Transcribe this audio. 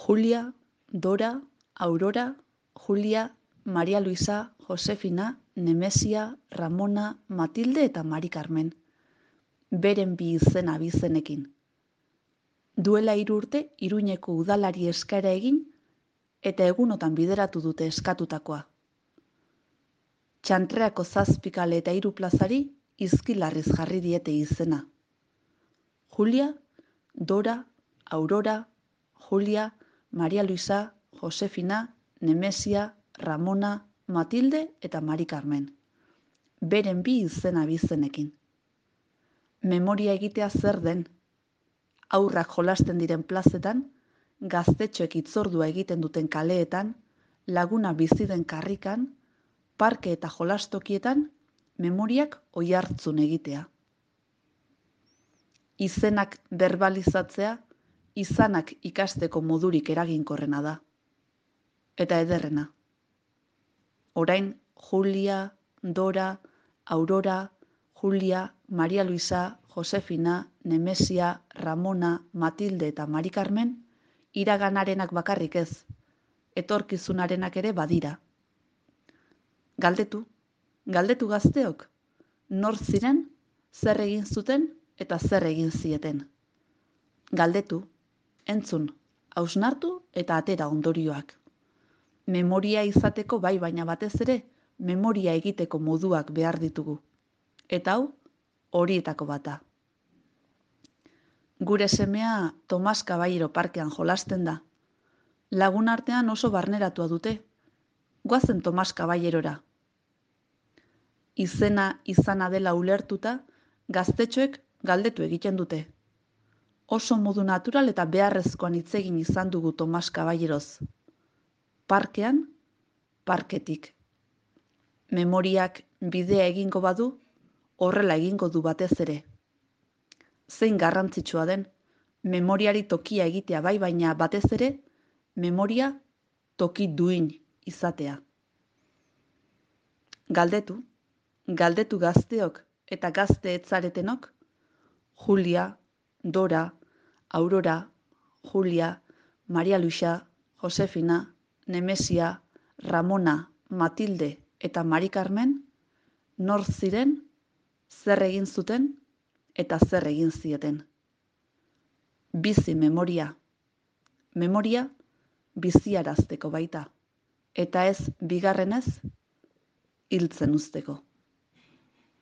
Julia, Dora, Aurora, Julia, Maria Luisa, Josefina, Nemesia, Ramona, Matilde eta Mari Carmen. Beren bi izen abizenekin. Duela 3 urte Iruñeko udalari eskaera egin eta egunotan bideratu dute eskatutakoa. Txantreako 7 kale eta 3 plazari izkilarriz jarri diete izena. Julia, Dora, Aurora, Julia, Maria Luisa, Josefina, Nemesia, Ramona, Matilde eta Mari Carmen. Beren bi izen abizenekin. Memoria egitea zer den? Haurrak jolasten diren plazetan, gaztetxoek hitzordua egiten duten kaleetan, laguna bizi den karrikan, parke eta jolastokietan, memoriak oihartzun egitea. Izenak berbalizatzea, izanak ikasteko modurik eraginkorrena da. Eta ederrena. Orain, Julia, Dora, Aurora, Julia, Maria Luisa, Josefina, Nemesia, Ramona, Matilde eta Mari Carmen, iraganarenak bakarrik ez, etorkizunarenak ere badira. Galdetu gazteok, nor ziren, zer egin zuten eta zer egin zieten. Galdetu, entzun, hausnartu eta atera ondorioak. Memoria izateko bai, baina batez ere, memoria egiteko moduak behar ditugu. Eta hau, horietako bata. Gure semea Tomas Caballero parkean jolasten da. Lagun artean oso barneratua dute. Goazen Tomas Caballerora. Izana dela ulertuta, gaztetxoek galdetu egiten dute. Oso modu natural eta beharrezkoan hitz egin izan dugu Tomas Caballeroz. Parkean, parketik. Memoriak bidea egingo badu, horrela egingo du batez ere. Zein garrantzitsua den, memoriari tokia egitea bai, baina batez ere, memoria toki duin izatea. Galdetu gazteok eta gazte etzaretenok, Julia, Dora, Aurora, Julia, Maria Luisa, Josefina, Nemesia, Ramona, Matilde eta Mari Carmen, nor ziren, zer egin zuten eta zer egin zieten. Bizi memoria. Memoria biziarazteko baita, eta ez bigarrenez hiltzen uzteko.